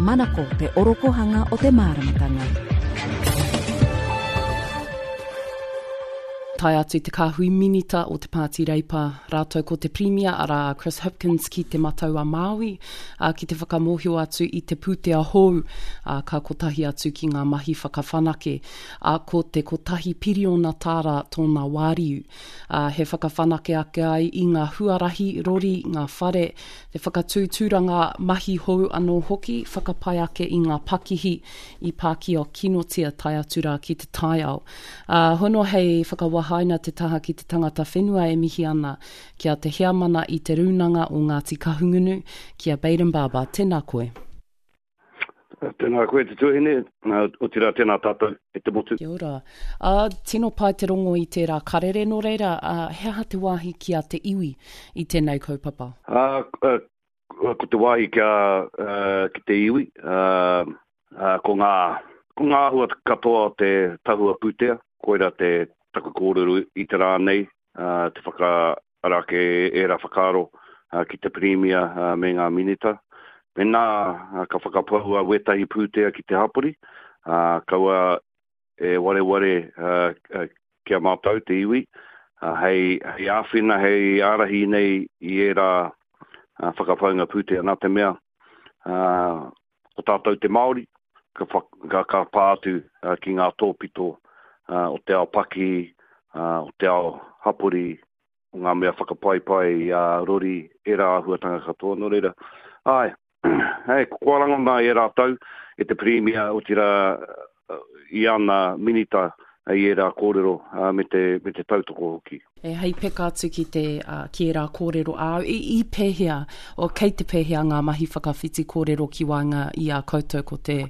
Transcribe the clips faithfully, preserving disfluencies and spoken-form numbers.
Manako te orokohanga o te māramatanga. Tae atu te kāhui minita o te Pāti Reipa, rātou ko te Pirimia arā Chris Hipkins ki te Matau a Māui, ā, ki te whakamōhio atu i te pūtea hou, ā, ka kotahi atu ki ngā mahi whakawhanake, ā, ko te kotahi piriona tāra tōna wāriu. Ā, he whakawhanake ake ai i ngā huarahi, rori, ngā whare, te whakatū tūranga mahi hou anō hoki, whakapai ake i ngā pakihi i pākia kinotia tae atu rā ki te taiao. Ā, hono hei whakawahaina te taha ki te tangata whenua e mihi ana ki a te heamana i te Rūnanga o Ngāti Kahungunu, ki a Bayden Barber. Tēnā koe. Tēnā koe te tuahine, otirā tēnā tātou e te motu. Kia ora. Ā, tino pai te rongo i tērā karere, nō reira, ā, he aha te wāhi ki a te iwi i tēnei kaupapa? Ā, ko te wāhi ki a, ki te iwi, ā, ko ngā, ko ngā āhua katoa o te tahua pūtea, koira te taku kōrero i te rā nei, ā, te whakaara ake ērā whakaaro ki te Pirimia me ngā minita. Mēnā ka whakapaua wētahi pūtea ki te hapori, ā, kaua e wareware ki a mātou te iwi, hei, hei āwhina, hei ārahi nei i ērā whakapaunga pūtea. Nā te mea, ā, ko tātou te Māori, ka, ka, ka pā atu ki ngā tōpito o te ao pakihi, o te ao hapori, o ngā mea whakapaipai a rori, ērā āhuatanga katoa. Nō reira, āe, hei, kua rangona e rātou, e te Pirimia, otirā i ana minita i ērā kōrero me te, me te tautoko hoki. E, hei peka atu ki te, uh, ki ērā kōrero āu, i, i pēhea, o kei te pēhea ngā mahi whakawhiti kōrero ki waenga i a koutou ko te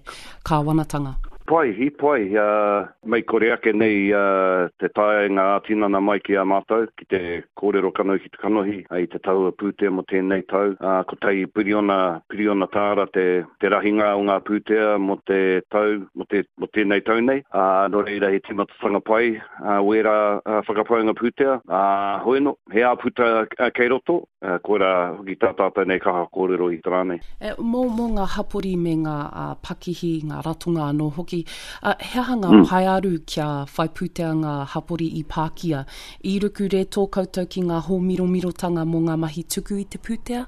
kāwanatanga? Pai, i pai, uh, mei kore ake nei uh, te taenga ā-tinana mai ki a mātou, ki te kōrero kanohi ki te kanohi, i te tahua pūtea mō tēnei tau. Uh, kotahi piriona, piriona tāra te, te rahinga o ngā pūtea mō te tau, mō, te, mō tēnei tau nei. Uh, nō reira he tīmatatanga pai uh, wērā uh, whakapaunga pūtea. Uh, hoi no, he āputa uh, kei roto, uh, koirā hoki tā tātou nei kaha kōrero i te rā nei. E, mō, mō ngā hapori me ngā uh, pakihi, ngā ratonga anō hoki, uh, he aha ngā mm. paearu kia whai pūtea ngā hapori i pākia? I ruku rētō koutou ki ngā hōmiromirotanga mō ngā mahi tuku i te pūtea?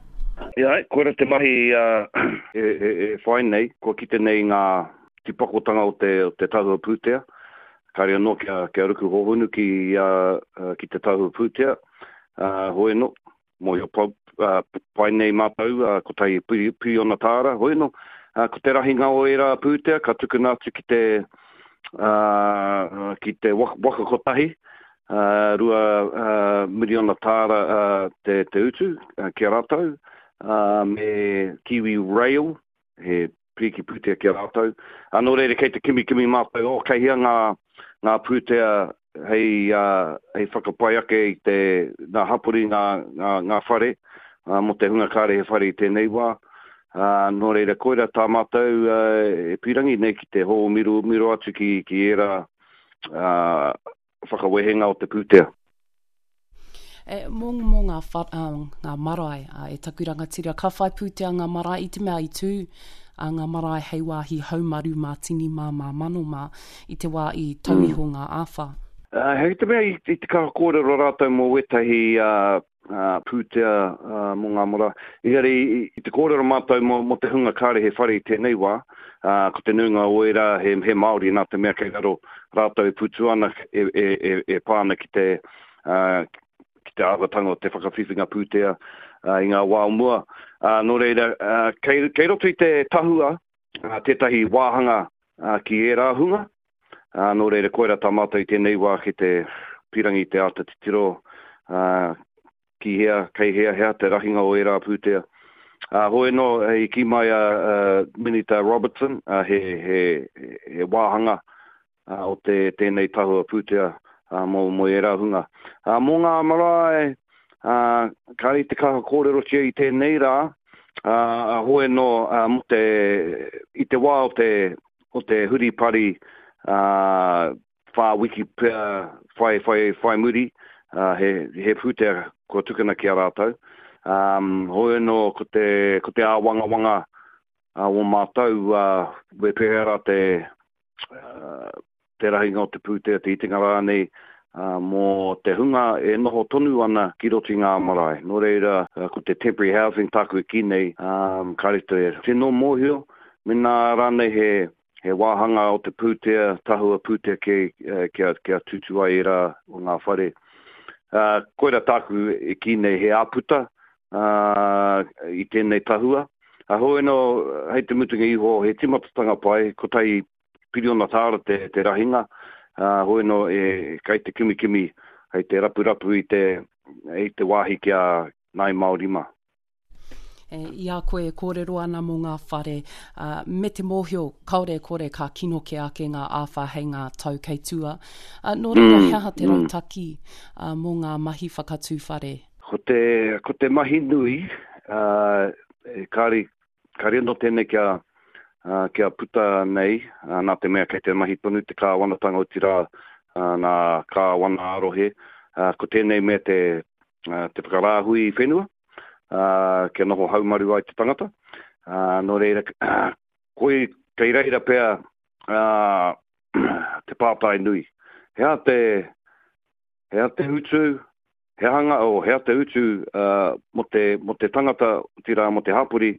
Ia, koira te mahi uh, e, e, e whai nei, kua kite nei ngā tīpakotanga o te, o te tahua pūtea. Kāre anō kia, kia ruku hohonu ki, uh, ki te tahua pūtea. Uh, hoi no, mōhio pau, uh, pai nei mātou, uh, kotahi piriona tāra, hoi no, uh, ko te rahinga o ērā pūtea ka tukuna atu ki te, uh, ki te waka, waka kotahi, uh, rua uh, miriona tāra uh, te, te utu uh, ki a rātou, uh, me Kiwi Rail, he piriki pūtea ki a rātou. Uh, nō reira kei te kimi kimi mātou, oh, kei hea ngā, ngā pūtea hei, uh, hei whakapai ake i te ngā hapori, ngā, ngā, ngā whare, uh, mō te hunga kāre he whare i tēnei wā. Uh, nō reira, koira tā mātou uh, e pīrangi nei ki te hōmiro atu ki, ki ērā uh, whakawehenga o te pūtea. E, mō, mō ngā, wha, uh, ngā marae uh, e taku rangatira, ka whai pūtea ngā marae i te mea i tū uh, ngā marae hei wāhi haumaru mā tini mā mā mano mā i te wā i tau iho mm. ngā āwhā. Uh, hei te mea i, i te kaha kōrero rātou mō wētahi uh, uh, pūtea uh, mō ngā marae. Engari i, i te kōrero mātou mō, mō te hunga kāre he whare i tēnei wā, uh, ko te nuinga o ērā he, he Māori nā te mea kei raro rātou e putu ana e, e, e, e pā ana ki te, uh, ki te āhuatanga o te whakawhiwhinga pūtea uh, i ngā wā o mua. Uh, nō reira, uh, kei, kei roto i te tahua uh, tētahi wāhanga uh, ki ērā hunga. Uh, nō reira, koira tā mātou i tēnei wā ki te pīrangi te āta titiro uh, ki hea, kei hea hea te rahinga o ērā pūtea. Uh, hoi no, i kī mai a uh, Minita Robertson, uh, he, he, he wāhanga uh, o te tēnei tahua pūtea uh, mō, mō ērā hunga. Uh, mō ngā marae, uh, kāre i te kaha kōrerotia i tēnei rā, uh, hoi no, uh, mō te, i te wā o te, o te huripari uh, whā wiki pea whai, whai, whai muri, uh, he, he pūtea kua tukuna ki a rātou. Um, hoi no, ko te, ko te āwangawanga o mātou, me pēhea rā te, te rahinga o te pūtea, te itinga rānei, mō te hunga e noho tonu ana ki roto i ngā marae. Nō reira, ko te temporary housing tāku e kī nei, kāre te tino mōhio, mēnā rānei he, he wāhanga o te pūtea, tahua pūtea kē, kia, kia tūtū ai ērā o ngā whare. Uh, koira tāku e kī nei he āputa uh, i tēnei tahua. Uh, hoi anō, hei te mutunga iho, he timatatanga pai, kotahi piriona tāra te, te rahinga, uh, hoi anō e kei te kimikimi, hei te rapurapu i te, i te wāhi ki a Ngāi Māori mā. E, i a koe e kōrero ana mō ngā whare, uh, me te mōhio kāore e kore ka kino kē ake ngā āwhā hei ngā tau kei tua. Uh, nō reira, mm, he aha te mm. rautaki uh, mō ngā mahi whakatū whare? Ko te, ko te mahi nui, uh, e kāre, kāre anō tēnei kia, uh, kia puta nei, uh, nā te mea kei te mahi tonu te kāwanatanga otirā uh, nā kāwana ā-rohe, uh, ko tēnei mea te, uh, te whakarāhui whenua, uh, kia noho haumaru ai te tangata. Uh, nō reira, uh, koi, kei reira pea uh, te pātai nui. He aha te, he aha te utu, he hanga, oh, he aha te utu uh, mō te, mō te tangata, otirā mō te hapori,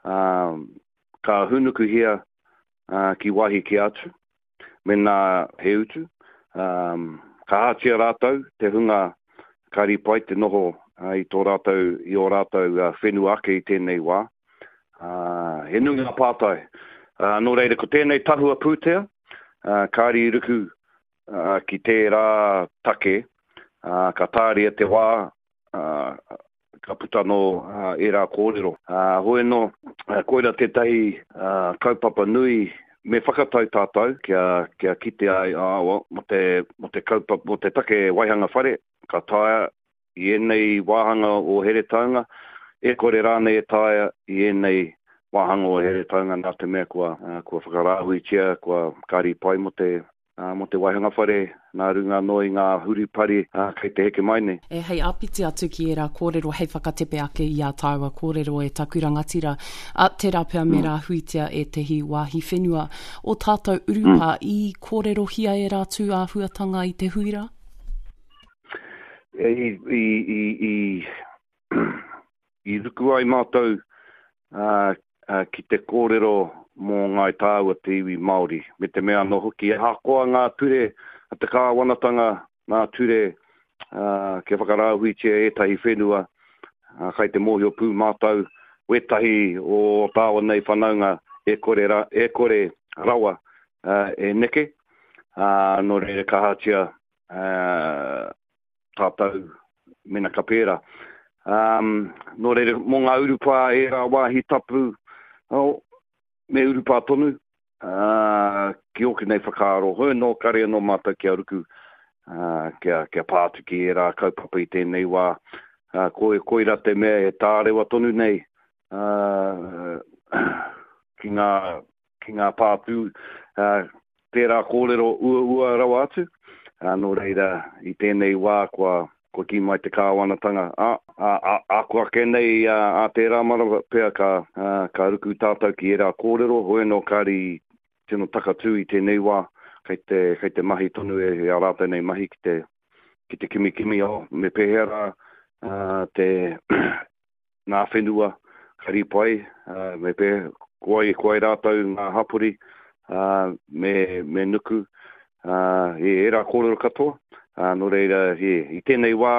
uh, ka hūnukuhia uh, ki wāhi kē atu, mēnā he utu. Um, ka ahatia rātou te hunga kāre i pai te noho uh, i tō rātou, i ō rātou uh, whenua ake i tēnei wā. Uh, he nui ngā pātai. Uh, nō reira, ko tēnei tahua pūtea, uh, kāre i ruku uh, ki tērā take, uh, ka tāria te wā, uh, ka puta anō uh, ērā kōrero. Uh, hoi anō, uh, koira tētahi uh, kaupapa nui me whakatau tātou kia, kia kite ai, ah, well, mō te, mō te kaupapa, mō te take waihanga whare, ka taea i ēnei wāhanga o Heretaunga, e kore rānei e taea i ēnei wāhanga o Heretaunga nā te mea kua, uh, kua whakarāhuitia, kua kāre i pai mō te, uh, mō te waihanga whare nā runga anō i ngā huripari uh, kei te heke mai nei. E, hei āpiti atu ki ērā kōrero hei whakatepe ake i ā tāua kōrero e taku rangatira, a, tērā pea me mm. rāhuitia ētehi wāhi whenua o tātou urupā mm. i kōrerohia ērā tū āhuatanga i te hui rā? I, i, i, i, i ruku ai mātou uh, uh, ki te kōrero mō Ngāi Tāua te iwi Māori, me te mea anō hoki, ahakoa ngā ture a te kāwanatanga, ngā ture uh, kia whakarāhuitia ētahi whenua, uh, kai te mōhio pū mātou, wētahi o tāua nei whanaunga e kore, ra, e kore rawa uh, e neke, uh, nō reira ka ahatia uh, tātou mena ka pērā. Um, nō reira, mō ngā urupā ērā wāhi tapu, oh, me urupā tonu, uh, ki ōku nei whakaaro, hoi anō, kāre anō mātou kia ruku, uh, kia, kia pā atu ki ērā kaupapa i tēnei wā. Uh, koi, koira te mea e tārewa tonu nei uh, ki ngā, ki ngā pātū, uh, tērā kōrero uaua rawa atu. Uh, nō reira, i tēnei wā kua, kua kī mai te kāwanatanga, a, a, a, a kua ake nei a, a tērā marama pea ka, a, ka ruku tātou ki ērā kōrero, hoi anō kāre i tino takatū i tēnei wā, kei te, kei te mahi tonu e, e a rātou nei mahi ki te, ki te kimikimi, oh, me pēhea rā uh, te ngā whenua ka ripai, uh, me pēhea, ko ai, ko ai rātou ngā hapori, uh, me, me nuku, uh, e ērā kōrero katoa. Uh, nō reira, e, i tēnei wā,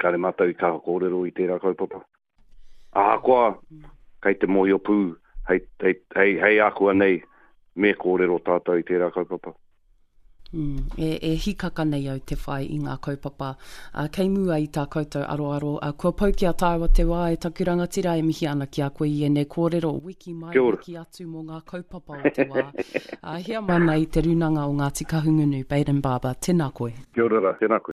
kāre mātou i kaha kōrero i tērā kaupapa. Ahakoa, kei te mōhio pū, hei, hei, hei, hei ākuanei, me kōrero tātou i tērā kaupapa. Mm, e, e hikaka nei au te whai i ngā kaupapa. Uh, kei mua i tā koutou aroaro, uh, kua pau ki a tāua te wā e taku rangatira e mihi ana ki a koe i ēnei kōrero, wiki mai, wiki atu mō ngā kaupapa o te wā. Uh, heamana i te Rūnanga o Ngāti Kahungunu, Bayden Barber, tēnā koe. Kia ora rā, tēnā koe.